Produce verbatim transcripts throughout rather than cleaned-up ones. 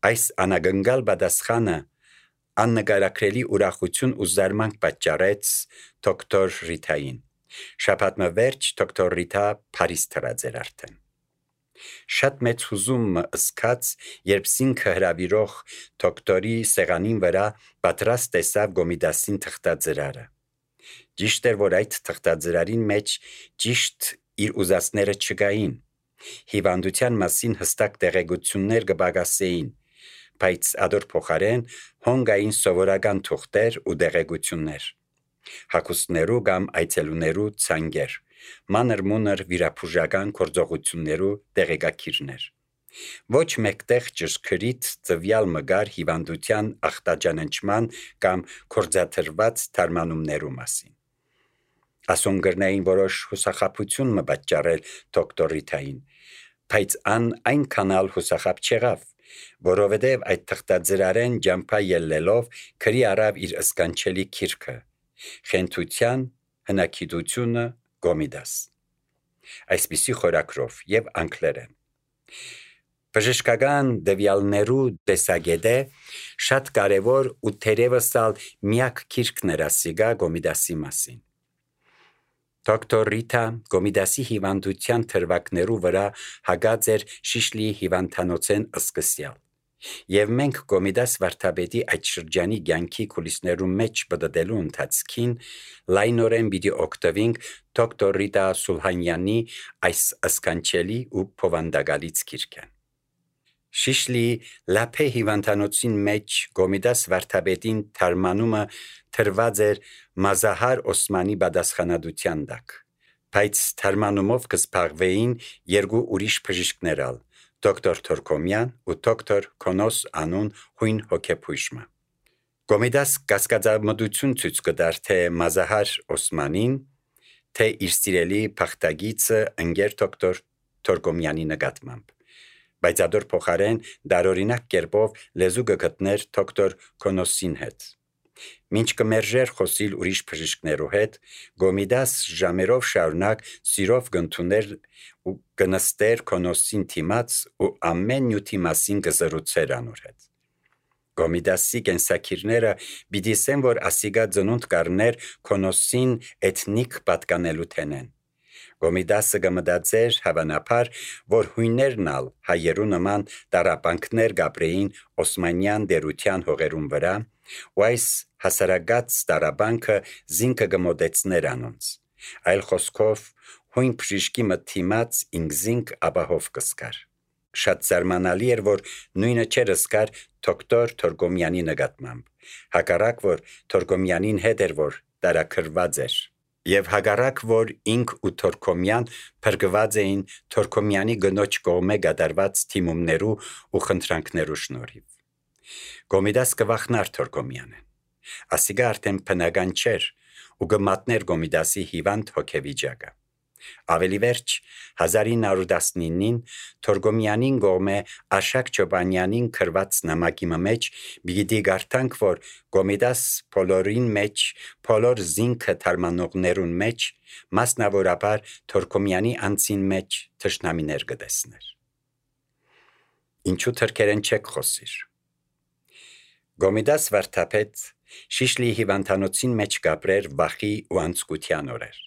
Այս անագնգալ բադասխանը աննկարագրելի ուրախություն ու զարմանք պատճառեց դոկտոր Ռիթային։ Շաբաթը վերջ դոկտոր Ռիթա Փարիզ թռած էր արդեն։ Շատ մեծ հուզում ըսկաց, երբ զինքը հրավիրող դոկտորի սեղանին վրա պատրաստ տեսավ Գոմիդասին թղթաձրարը։ Ճիշտ էր, որ այդ թղթաձրարին մեջ ճիշտ իր ուզածները չկային։ Հիվանդության մասին հստակ տեղեկություններ կբագասեին, բայց ադոր փոխարեն հոնգային սովորական թուղթեր ու տեղեկություններ, հագուստներու կամ այցելուներու ցանկեր, մանր-մունր վիրաբուժական գործողություններու տեղեկակիրներ։ Ոչ մեկտեղ ճշգրիտ ծվյալ մգար հիվանդության ախտաջանանչման կամ կորձաթրված թարմանումներու մասին։ Ասոնգրնային որոշ հուսախաբություն մը պատճառել դոկտոր Ռիթային, բայց ան այնքանալ հուսախաբ չեղավ, որովհետև այդ թղթաձրարեն ջամփա ելլելով քրի առավ իր ըսկանչելի քիրքը՝ խենթության հնագիտությունը Գոմիդաս, այսպիսի խորագրով եւ անգլերեն։ Բժշկական դվյալներու տեսագետը շատ կարևոր ու թերևս ալ միակ քիրքն էր ասիգա Գոմիդասի մասին։ Դոկտոր Ռիթա Գոմիդասի հիվանդության թրվակներու վրա հագած էր Շիշլի հիվանդանոցեն ըսկսյալ, եւ մենք Գոմիդաս վարդապետի այդ շրջանի կյանքի կուլիսներու մեջ բդդելու ընթացքին լայնորեն պիտի օգտվենք դոկտոր Ռիտա Սուլհանյանի այս ըսկանչելի ու փովանդակալից քիրքեն։ Շիշլի լափե հիվանդանոցին մեջ Գոմիդաս վարդապետին թարմանումը թրված էր Մազահար Օսմանի բադասխանադության տակ, բայց թարմանումով կսփաղվեին երկու ուրիշ բժիշկներ ալ, դոկտոր Թորկոմյան ու դոկտոր Քոնոս անուն հույն հոգեբույժը։ Գոմիդաս կասկածամտություն ցույց կտար թե Մազահար Օսմանին, թե իր սիրելի փախտագիծը ընկեր դոկտոր Թորկոմյանի նկատմամբ, բայց ադոր փոխարեն դարօրինակ կերպով լեզու կգտներ դոկտոր Քոնոսին հետ։ Մինչ կմերժեր խոսիլ ուրիշ բժիշկներու հետ, Գոմիդաս ժամերով շարունակ սիրով կընդուներ ու կնստեր Քոնոսին թիմաց ու ամեն նյութի մասին կզրուցեր անոր հետ։ Գոմիդասի կենսակիրները պիտի ասեն, որ ասիգա ծնունդ կառներ Քոնոսին էթնիկ պատկանելու թենեն։ Գոմիդասը կմտածեր հավանաբար, որ հույներն ալ հայերու նման տարապանքներ կապրեին Օսմանյան դերության հողերուն վրա, ու այս հասարակած տարապանքը զինքը կմոտեցներ անոնց, այլ խոսքով հույն բժիշկի մտիմաց ինքզինք ապահով կսկար։ Շատ զարմանալի էր, որ նույնը չէր ըսկար դոկտոր Թորկոմյանի նկատմամբ, հակառակ որ Թորկոմյանին հետ էր, որ տարաքրված էր, եւ հակառակ որ ինք ու Թորկոմյան փրկված էին Թորկոմյանի գնոջ կողմէ կատարված թիմումներու ու խնդրանքներու շնորհիվ։ Գոմիդաս կվախնար Թորկոմյանեն, ասիգա արդեն բնական չէր ու կմատներ Գոմիդասի հիվանդ հոգեվիճակը։ Ավելի վերջ հազար ինը հարյուր տասնինին Թորկոմյանին կողմէ Աշակ Չոբանյանին քրված նամակի մեջ պիտի գարտանք, որ Գոմիդաս բոլորին մեջ, բոլոր զինքը թարմանողներուն մեջ, մասնավորաբար Թորկոմյանի անձին մեջ թշնամիներ կտեսներ։ Ինչու թրքերեն չեք խոսիր։ Գոմիդաս վարդապետ Շիշլի հիվանդանոցին մեջ կապրեր վախի ու անցկության օրեր։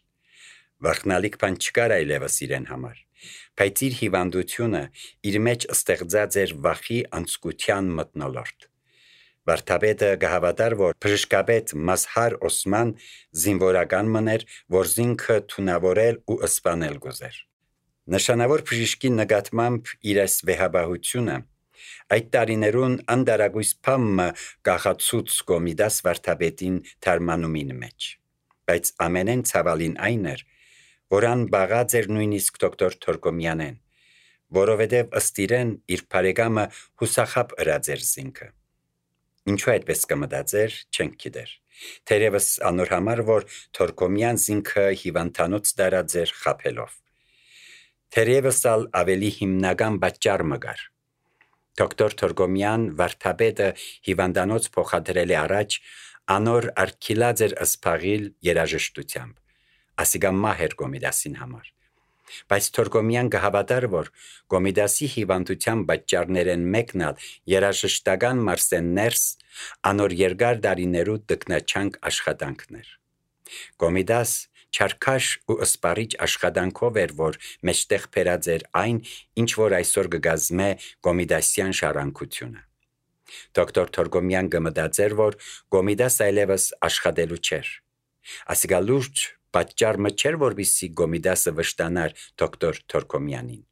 Վախնալիք բան չկար այլևս իրեն համար, բայց իր հիվանդությունը իր մեջ ստեղծած էր վախի անցկության մթնոլորտ։ Վարդապետը կհավատար, որ բժշկապետ Մազհար Օսման զինվորական մներ, որ զինքը թունավորել ու սպանել գուզեր։ Նշանավոր բժշկի նկատմամբ իր այս վեհաբահությունը այդ տարիներուն անդարագույս փամը կախացուց Գոմիդաս վարդապետին թարմանումին մեջ, բայց ամենեն ցավալին այն էր, որ ան բաղած էր նույնիսկ դոկտոր Թորկոմյանեն, որովհետև ըստ իրեն իր բարեկամը հուսախաբ ըրած էր զինքը։ Ինչու այդպես կմտածեր, չենք գիտեր, թերևս անոր համար, որ Թորկոմյան զինքը հիվանդանոց տարած էր խաբելով։ Թերևս ալ ավելի հիմնական պատճառ մը կար։ Դոկտոր Թորկոմյան վարդապետը հիվանդանոց փոխադրելի առաջ անոր արգիլած էր ըսփաղիլ երաժշտությամբ, ասիգա մահեր Գոմիդասին համար, Բայց Թորգոմյան կհավատար, որ Գոմիդասի հիվանդության պատճառներեն մեկն ալ երաժշտական մարսեններս անոր երկար դարիներու տկնաչանք աշխատանքներ։ Գոմիդաս չարքաշ ու ըսպարիչ աշխատանքով էր, որ մեջտեղ փերած էր այն, ինչ որ այսօր կգազմե Գոմիդասյան շարանկությունը։ Դոկտոր Թորգոմյան կմտածեր, որ Գոմիդաս այլևս աշխատելու չէր։ Ասիկա լուրջ պատճառը չէր, որպեսզի Գոմիդասը վշտանար դոկտոր Թորգոմյանին։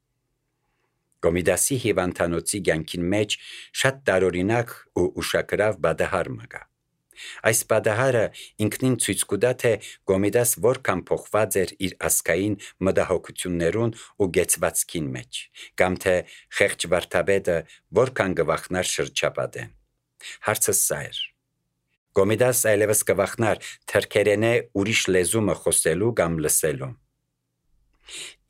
Գոմիդասի հիվանդանոցի կյանքին մեջ շատ տարօրինակ ու ուշագրավ բադահար մգա։ Այս բադահարը ինքնին ցույց կտա, թե Գոմիդաս որքան փոխված էր իր ասկային մտահոգություններուն ու գեցվածքին մեջ, կամ թե խեղճ վարդապետը որքան կվախնար շրջապատեն։ Հարցը սա էր. Գոմիդաս այլևս կվախնար թրքերենե ուրիշ լեզումը խոսելու կամ լսելու։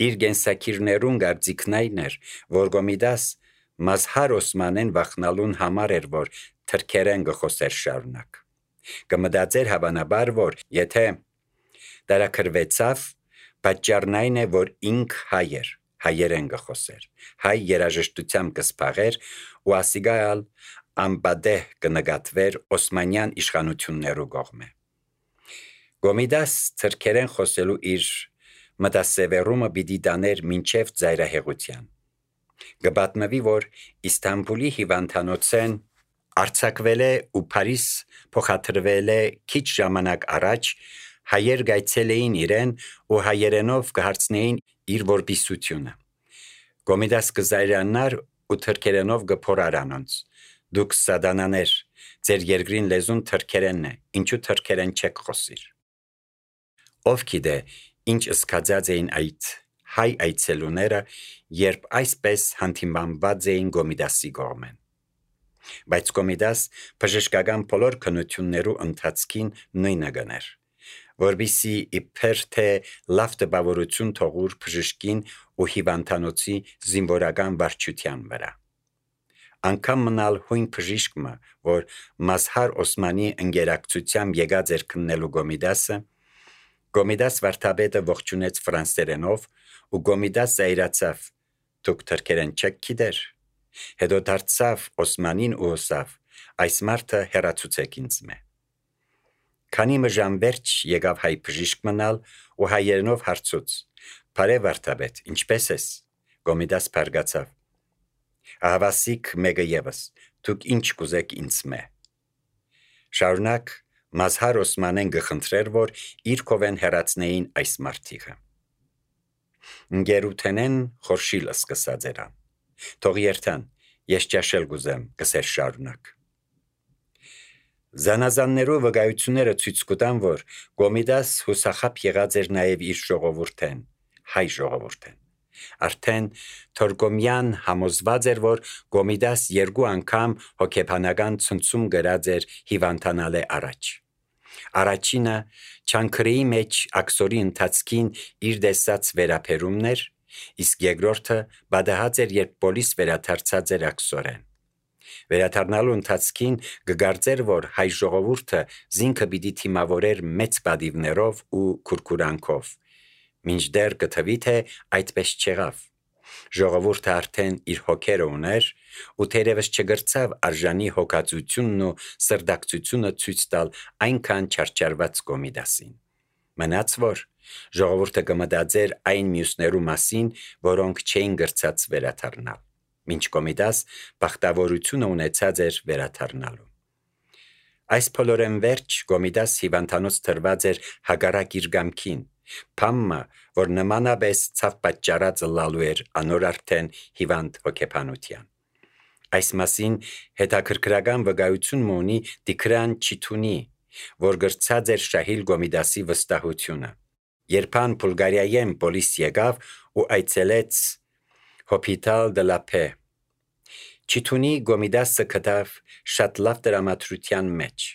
Իր գենսակիրներուն գարձիկն այն էր, որ Գոմիդաս Մազհար Օսմանեն վախնալուն համար էր, որ թրքերեն կխոսեր շարունակ։ Կմտածեր հավանաբար, որ եթե դարակրվեցավ, պատճառն այն է, որ ինք հայ էր, հայերեն կխոսեր, հայ երաժշտությամբ կսփաղեր ու ասիգալ ամբադեհ կնկատվեր Օսմանյան իշխանություններու կողմէ։ Գոմիդաս թրքերեն խոսելու իր մտասևեռումը պիտի տաներ մինչև ծայրահեղության։ Կպատմվի, որ Իստանբուլի հիվանդանոցեն արձակվել է ու Փարիզ փոխադրվել է քիչ ժամանակ առաջ, հայեր գայցել էին իրեն ու հայերենով կհարցնեին իր որբիսությունը։ Գոմիդաս կզայրանար ու թրքերենով կփորար անոնց. Դուք սադանաներ, ձեր երկրին լեզուն թրքերենն է, ինչու թրքերեն չեք խոսիր։ Ով գիտե, ինչ սկացած էին այդ հայ այցելուները, երբ այսպես հանդիմանված էին Գոմիդասի կողմեն։ Բայց Գոմիդաս բժշկական բոլոր քննություններու ընթացքին նույնը գներ, որբիսի իբր թե լավ տպավորություն թողուր բժշկին ու հիվանդանոցի զինվորական վարչության վրա։ Անկամ մնալ հույն բժիշկը, որ Մազհար Օսմանի ընկերակցությամբ եկած էր քննելու Գոմիդասը, Գոմիդաս վարդապետը ողջունեց ֆրանսերենով ու Գոմիդաս զայրացավ. «Դուք թրքերեն չեք գիտեր»։ Հետո դարձավ Օսմանին ու ասավ. «Այս մարդը հեռացուցեք ինձ մե»։ Քանի մժամ վերջ եկավ հայ բժիշկ մնալ ու հայերենով հարցուց. «Բարև վարդապետ, ինչպես ես»։ Գոմիդաս բարգացավ. «Ահավասիկ մեկը ևս, դուք ինչ կուզեք ինձ մե»։ Շարունակ Մազհար Օսմանեն գխնդրեր, որ իր կովեն հեռացնեին այս մարդիկը։ Ընկերութենեն խորշիլ սկսած երան։ Թող երթան, ես ճաշել կուզեմ, կսեր շարունակ։ Զանազաններու վկայությունները ցույց կտան, որ Գոմիդաս հուսախապ եղած էր նաև իր ժողովուրդեն, հայ ժողովուրդեն։ Արդեն Թորգոմյան համոզված էր, որ Գոմիդաս երկու անգամ հոգեբանական ցնցում գրած էր հիվանդանալե առաջ։ Առաջինը չանքրեի մեջ աքսորի ընթացքին իր դեսած վերապերումներ, իսկ երկրորդը բադահած էր, երբ պոլիս վերադարձած էր աքսորեն։ Վերադառնալու ընթացքին կգարձեր, որ հայ ժողովուրդը զինքը պիտի թիմավորեր մեծ բադիվներով ու քուրքուրանքով, մինչդեռ կթվի, թե այդպես չեղավ։ Ժողովուրդը արդեն իր հոգերը ուներ ու թերևս չգրցավ արժանի հոգացությունն ու սրդակցությունը ցույց տալ այնքան չարչարված Գոմիդասին։ Մնաց որ ժողովուրդը կմտածեր այն մյուսներու մասին, որոնք չէին գրցած վերադառնալ, մինչ Գոմիդաս բախտավորությունը ունեցած էր վերադառնալու։ Այս բոլորեն վերջ Գոմիդաս հիվանդանոց թրված էր հագարակ իր գամքին, փամը, որ նմանապես ցավ պատճառած լալու էր անոր արդեն հիվանդ հոգեբանության։ Այս մասին հետաքրքրական վկայություն ունի Տիգրան Չիթունի, որ գրծած էր Շահիլ Գոմիդասի վստահությունը։ Երբան Բուլղարիայեն պոլիս եկավ ու այցելեց Հոպիտալ դե լա Փե։ Չիթունի Գոմիդասը կտավ շատ լավ դրամատրության մեջ։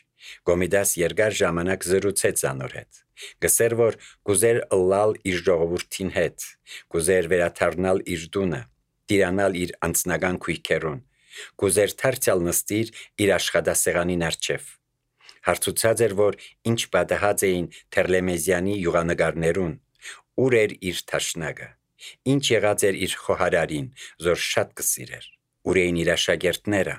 Գոմիդաս երկար ժամանակ զրուցեց անոր հետ։ Գսեր, որ կուզեր ըլլալ իր ժողովուրդին հետ, կուզեր վերադառնալ իր տունը, տիրանալ իր անձնական քույքերուն, կուզեր դարձյալ նստիր իր աշխատասեղանին առջև։ Հարցուցած էր, որ ինչ պատահած էին Թերլեմեզյանի յուղանգարներուն, ուր էր իր թաշնագը, Ինչ եղած էր իր խոհարարին, զոր շատ կսիրեր, ուր էին իր աշակերտները,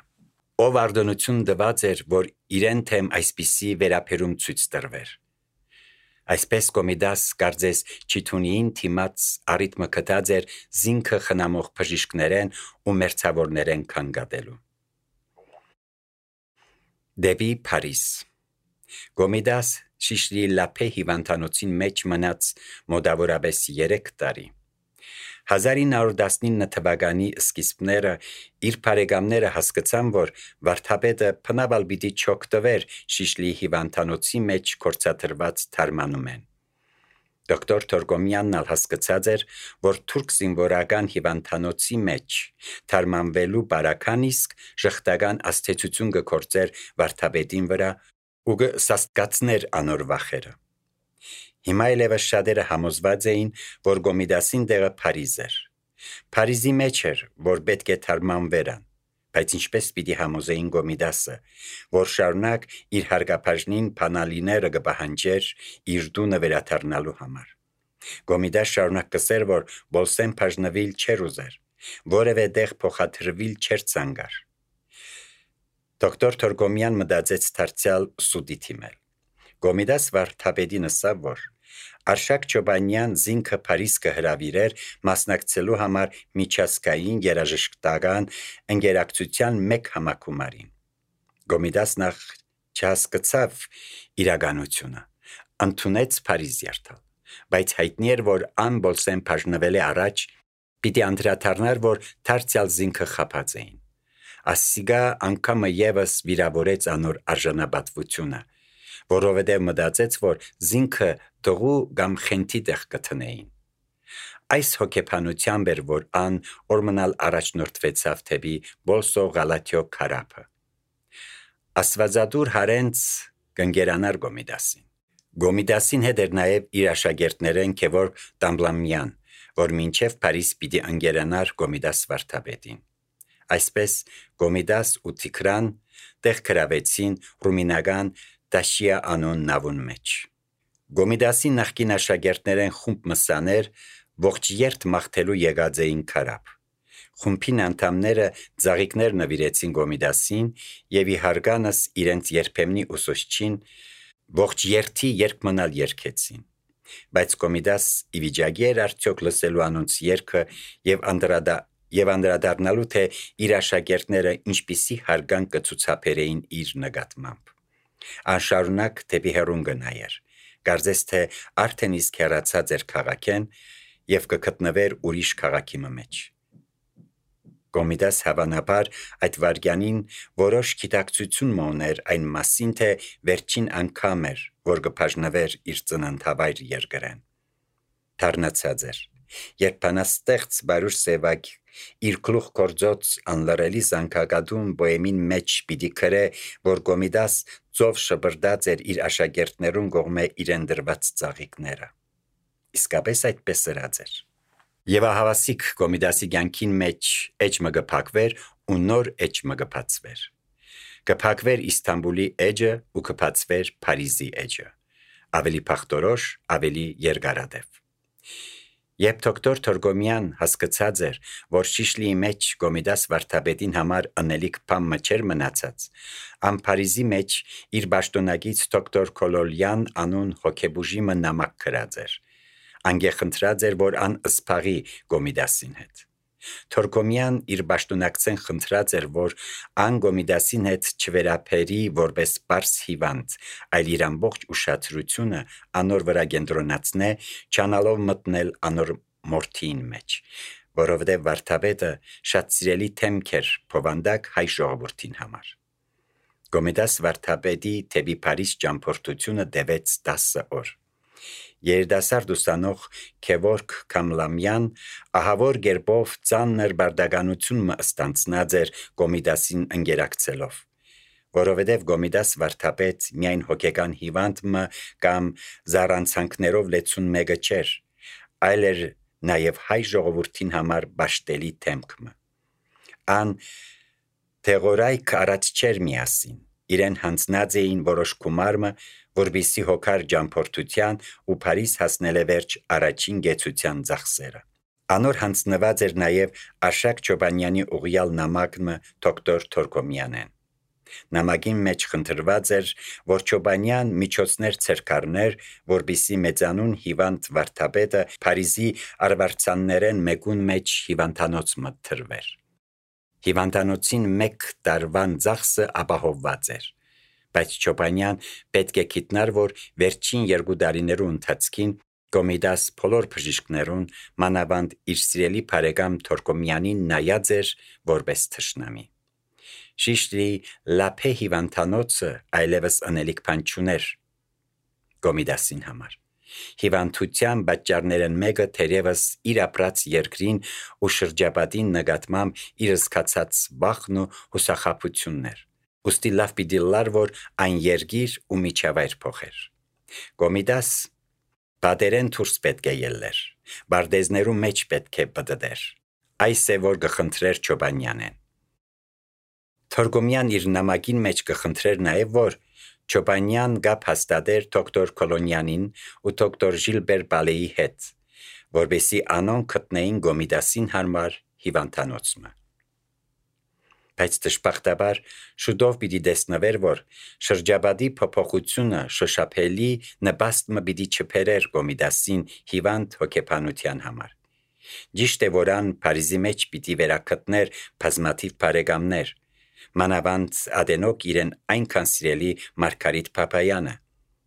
ով արդոնություն տված էր, որ իրեն թեմ այսպիսի վերապերում ցույց տրվեր։ Այսպես Կոմիդաս կարծես Չիթունիին թիմած առիթմը գտած էր զինքը խնամող բժիշկներեն ու մերձավորներեն քանգատելու։ Դեպի Փարիզ Կոմիդաս Շիշլի լափե հիվանդանոցին մեջ մնաց մոտավորապես երեք տարի։ հազար ինը հարյուր տասնինը թվականի սկիզբները իր բարեկամները հասկացան, որ վարդապետը բնավ պիտի չօգտվեր Շիշլի հիվանդանոցի մեջ գործադրված թարմանումեն։ Դոկտոր Թորգոմյանն ալ հասկացած էր, որ թուրք զինվորական հիվանդանոցի մեջ թարմանվելու բարական իսկ ժխտական աստեցություն կգործեր վարդապետին վրա ու կսաստկացներ անոր վախերը։ Հիմա ելևս շատերը համոզված էին, որ Կոմիդասին տեղը Փարիզ էր։ Փարիզի մեջ էր, որ պետք է թարմանվերան, բայց ինչպես պիտի համոզեին Կոմիդասը, որ շարունակ իր հարգապաշտին բանալիները կպահանջեր իր տունը վերադառնալու համար։ Կոմիդաս շարունակ կսեր, որ Բոլսեն բաժնվել չէր ուզեր, որևէ տեղ փոխադրվել չէր ցանկար։ Դոկտոր Թորգոմյան մտածեց դարձյալ սուտի թիմել։ Կոմիդաս վարդապետին ասավ, որ Արշակ Չոբանյան զինքը Փարիզ կհրավիրեր մասնակցելու համար միջազգային երաժշտական ընկերակցության մեկ համակումարին։ Կոմիդաս նախ չհասկացավ իրականությունը, ընդունեց Փարիզ երթալ, բայց հայտնի էր, որ ան Բոլսեն բաժնվել է առաջ, պիտի անդրադառնար, որ դարձյալ զինքը խաբած էին։ Ասիգա անգամը եւս վիրավորեց անոր արժանապատվությունը, որովհետև մտածեց, որ զինքը դողու կամ խենթի տեղ կտնեին։ Այս հոգեբանությամբ էր, որ ան օրմնալ առաջնորդվեցավ թեպի Բոլսո Գալաթիո քարափը։ Աստվածադուր հարենց կընկերանար Կոմիդասին։ Կոմիդասին հետ էր նաև իր աշակերտներեն Գևորգ Տամբլամյան, որ մինչև Փարիզ պիտի ընկերանար Կոմիդաս վարդապետին։ Այսպես Կոմիդաս ու Տիգրան տեղ գրավեցին ռումինական Տաշիա անուն նավուն մեջ։ Կոմիդասի նախկին աշակերտներեն խումբ մսաներ ողջ երթ մաղթելու եկած էին քարափ։ Խումբին անդամները ծաղիկներ նվիրեցին Կոմիդասին եւ իհարգանս իրենց երբեմնի ուսուցչին ողջ երթի երկ մնալ երկեցին։ Բայց Կոմիդաս ի վիճակի էր արդյոք լսելու անոնց երգը եւ անդրադա եւ անդրադառնալու թե իր աշակերտները ինչպիսի հարգանք կցուցաբերեին իր նկատմամբ։ Անշարունակ դեպի հեռուն գնայր, կարծես թե արդեն իսկ հեռացած էր քաղաքեն եւ կգտնվեր ուրիշ քաղաքի մեջ։ Կոմիդաս հավանաբար այդ վարքյանին որոշ գիտակցություն մոներ այն մասին, թե վերջին անգամ էր, որ կբաժնվեր իր ծննդավայր երկրեն։ Դառնացած էր, երբ բանաստեղծ Բարուշ Սևակ իր գլուխ գործոց անլրելի զանգակատուն բոեմին մեջ պիտի գրե, որ Կոմիդաս ծով շպրտած էր իր աշակերտներուն կողմէ իրեն դրված ծաղիկները։ Իսկապես այդպես ըրած էր։ Եվ ահավասիկ Կոմիդասի կյանքին մեջ էջը կփակվեր ու նոր էջը կբացվեր։ Կփակվեր Իստանբուլի էջը ու կբացվեր Փարիզի էջը։ Ավելի փախտորոշ, ավելի երկարատև։ Երբ դոկտոր Թորգոմյան հասկացած էր, որ Շիշլիի մեջ Կոմիդաս վարդապետին համար անելիք բան չէր մնացած, ան Փարիզի մեջ իր պաշտոնակից դոկտոր Կոլոլյան անուն հոգեբուժիմը նամակ գրած էր։ Անգե խնդրած էր, որ ան ըսփաղի Կոմիդասին հետ։ Թորգոմյան իր պաշտոնակցեն խնդրած էր, որ ան Կոմիդասին հետ չվերապերի որպես պարս հիվանդ, այլ իր ամբողջ ուշադրությունը անոր վրա կենտրոնացնե, չանալով մտնել անոր մորթին մեջ, որովհետև վարդապետը շատ սիրելի թեմք էր փովանդակ հայ ժողովրդին համար։ Կոմիդաս վարդապետի թեպի Փարիզ ճամփորդությունը տևեց տասը օր։ Երիտասարդ ուսանող Գևորգ Կամլամյան ահավոր գերբով ծանր բարդականություն մը ստանցնած էր Կոմիդասին ընկերակցելով, որովհետև Կոմիդաս վարդապետ միայն հոգեկան հիվանդ մը կամ զառանցանքներով լեցուն մեկը չէր, այլ էր նաև հայ ժողովրդին համար բաշտելի թեմք մը։ Ան թեղորայք առաջ չէր միասին, իրեն հանձնած էին որոշ գումարը, որպեսզի հոգար ճամփորդության ու Փարիզ հասնել է վերջ առաջին գեցության ծախսերը։ Անոր հանձնված էր նաև Աշակ Չոբանյանի ուղիալ նամակը դոկտոր Թորկոմյանեն։ Նամակին մեջ խնդրված էր, որ Չոբանյան միջոցներ ցերկարներ, որբիսի մեծանուն հիվանդ վարդապետը Փարիզի արվարձաններեն մեկուն մեջ հիվանդանոց մտտրվեր։ Հիվանդանոցին մեկ տարվան ծախսը ապահովված էր, բայց Չոբանյան պետք է գիտնար, որ վերջին երկու տարիներու ընթացքին Կոմիդաս բոլոր բժիշկներուն, մանավանդ իր սիրելի բարեկամ Թորկոմյանին նայած էր որպես թշնամի։ Շիշտի լափե հիվանդանոցը այլևս անելիք բան չուներ Կոմիդասին համար։ Հիվանդության պատճառներն մեկը թերևս իր ապրած երկրին ու շրջապատին նկատմամբ իր զգացած վախն ու հուսախաբությունն էր։ Ուստի լավ պիտի լար, որ այն երգիր ու միջավայր փոխեր։ Կոմիդաս բادرեն դուրս պետք է ելներ, բարդեզներու մեջ պետք է բդդեր։ Այս է որ գխնդրեր Չոբանյանեն։ Թորկոմյան իր նամակին մեջ կխնդրեր նաև, որ Չոբանյան գապ հաստատեր դոկտոր Կոլոնյանին ու դոկտոր Ժիլբեր Բալեի հետ, որբեսի անոնք գտնեին Կոմիդասին համար հիվանդանոցը։ Բայց դժբախտաբար շուտով պիտի տեսնվեր, որ շրջապատի փոփոխությունը շոշափելի նպաստ մը պիտի չբերեր Կոմիդասին հիվանդ հոգեբանության համար։ Ճիշտ է, որ ան Փարիզի մեջ պիտի վերակտներ բազմաթիվ բարեկամներ, մանավանդ ադենոք իրեն այնքան սիրելի Մարգարիտ Փապայանը,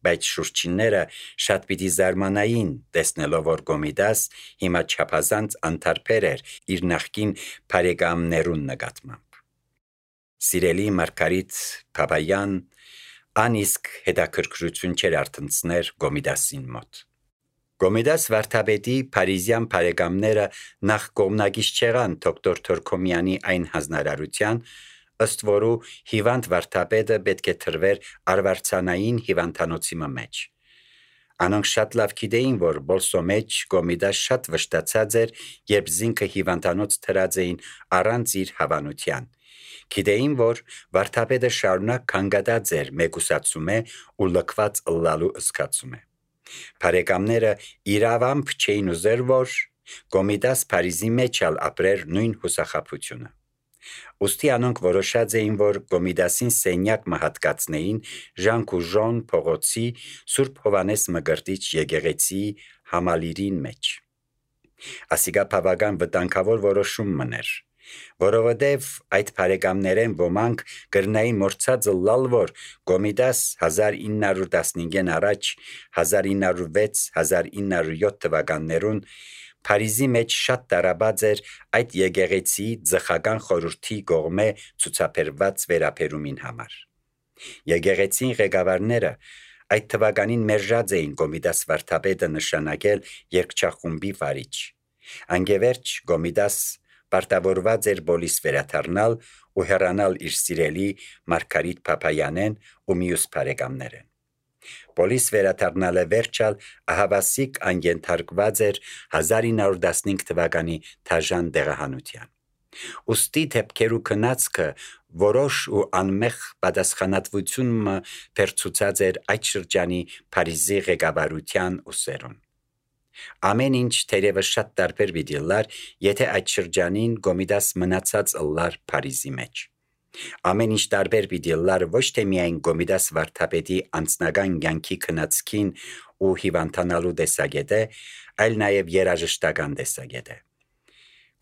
բայց շուրջինները շատ պիտի զարմանային տեսնելով, որ Կոմիդաս հիմա չափազանց անտարբեր էր իր նախկին բարեկամներուն նկատմամբ։ Սիրելի Մարգարիտ Փապայան անիսկ հետաքրքրություն չեր արտնցներ Կոմիդասին մոտ։ Կոմիդաս վարդապետի Փարիզյան բարեկամները նախ կողմնակից չեղան դոկտոր Թորկոմյանի այն հանձնարարության, ըստ որու հիվանդ վարդապետը պետք է թրվեր արվարձանային հիվանդանոցի մեջ։ Անոնք շատ լավ գիտեին, որ բոլսո մեջ Կոմիդաս շատ վշտացած էր, երբ զինքը հիվանդանոց թրած էին առանց իր հավանության։ Գիտեին, որ վարդապետը շարունակ կանգադած էր մեկուսացում է ու լքված ըլլալու ըսկացում է։ Բարեկամները իրավամբ չէին ուզեր, որ Կոմիդաս Փարիզի մեջ ալ ապրեր նույն հուսախաբությունը։ Ուստի անոնք որոշած էին, որ Կոմիդասին սենյակ մահատկացնեին Ժան-Կուժոն փողոցի Սուրբ Հովանես Մկրտիչ եկեղեցի համալիրին մեջ։ Ասիկա բավական վտանգավոր որոշում մներ, որովհետև այդ բարեկամներեն ոմանք կրնային մորցած ըլլալ, որ Կոմիդաս հազար ինը հարյուր տասնհինգեն առաջ հազար ինը հարյուր վեց հազար ինը հարյուր յոթ թվականներուն Փարիզի մեջ շատ տարաբած էր այդ եկեղեցի ձխական խորհրդի կողմէ ցուցաբերված վերապերումին համար։ Եկեղեցին ղեկավարները այդ թվականին մերժած էին Կոմիդաս վարդապետը նշանակել երկչախումբի վարիչ։ Անգևերջ Կոմիդաս պարտավորված էր բոլիս վերաթարնալ ու հեռանալ իր սիրելի Մարգարիտ Փապայանեն ու մյուս բարեկամներեն։ Բոլիս վերաթարնալը վերջալ ահավասիկ անգենթարկված էր հազար ինը հարյուր տասնհինգ թվականի թաժան դեղահանության։ Ուստի դեպքերու քնածքը որոշ ու անմեղ պատասխանատվությունը վերցուցած էր այդ շրջանի Փարիզի ղեկավարության ուսերուն։ Ամեն ինչ թերևս շատ տարբեր պիտի լար, եթե այդ շրջանին Կոմիդաս մնացած ըլլար Փարիզի մեջ։ Ամեն ինչ տարբեր պիտի լար ոչ թե միայն Կոմիդաս վարդապետի անձնական կյանքի քնածքին ու հիվանդանալու տեսակետը, այլ նաև երաժշտական տեսակետը։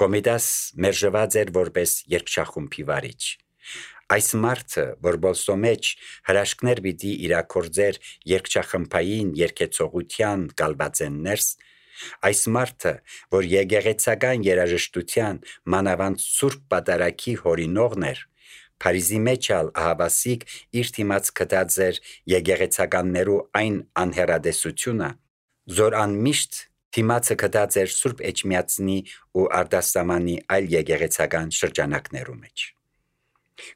Կոմիդաս մերժված էր որպես երկչախումբի վարիչ։ Այս մարդը, որ բոլսո մեջ հրաշքներ պիտի իրակորձեր երկչախմբային երկեցողության կալվածեն ներս, այս մարդը, որ եկեղեցական երաժշտության մանավանդ Սուրբ Պատարագի հորինողն էր, Փարիզի մեջ ալ ահավասիկ իր թիմած կտած էր եկեղեցականներու այն անհեռադեսությունը, զոր անմիշտ թիմացը կտած էր Սուրբ Էջմիածնի ու Արտասամանի այլ եկեղեցական շրջանակներու մեջ։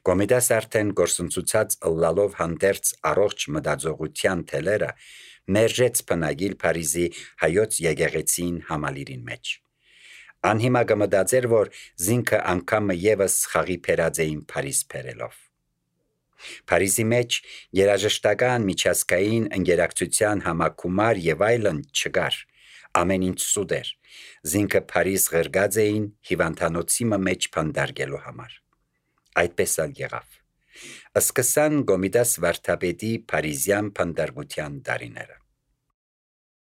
Կոմիդաս արդեն գործընծուցած ըլլալով հանդերձ առողջ մտածողության թելերը մերժեց բնագիլ Փարիզի հայոց եկեղեցին համալիրին մեջ։ Անհիմա կմտածեր, որ զինքը անգամը եւս խաղի փերած էին Փարիզ փերելով։ Փարիզի մեջ երաժշտական միջազգային ընկերակցության համակումար եւ այլն չկար, ամեն ինչ սուտ էր, Զինքը Փարիզ ղրգած էին հիվանդանոցի մեջ փանդարգելու համար։ Այդպես ալ եղավ։ Սկսան Գոմիդաս վարդապետի Փարիզյան փանդարգության տարիները։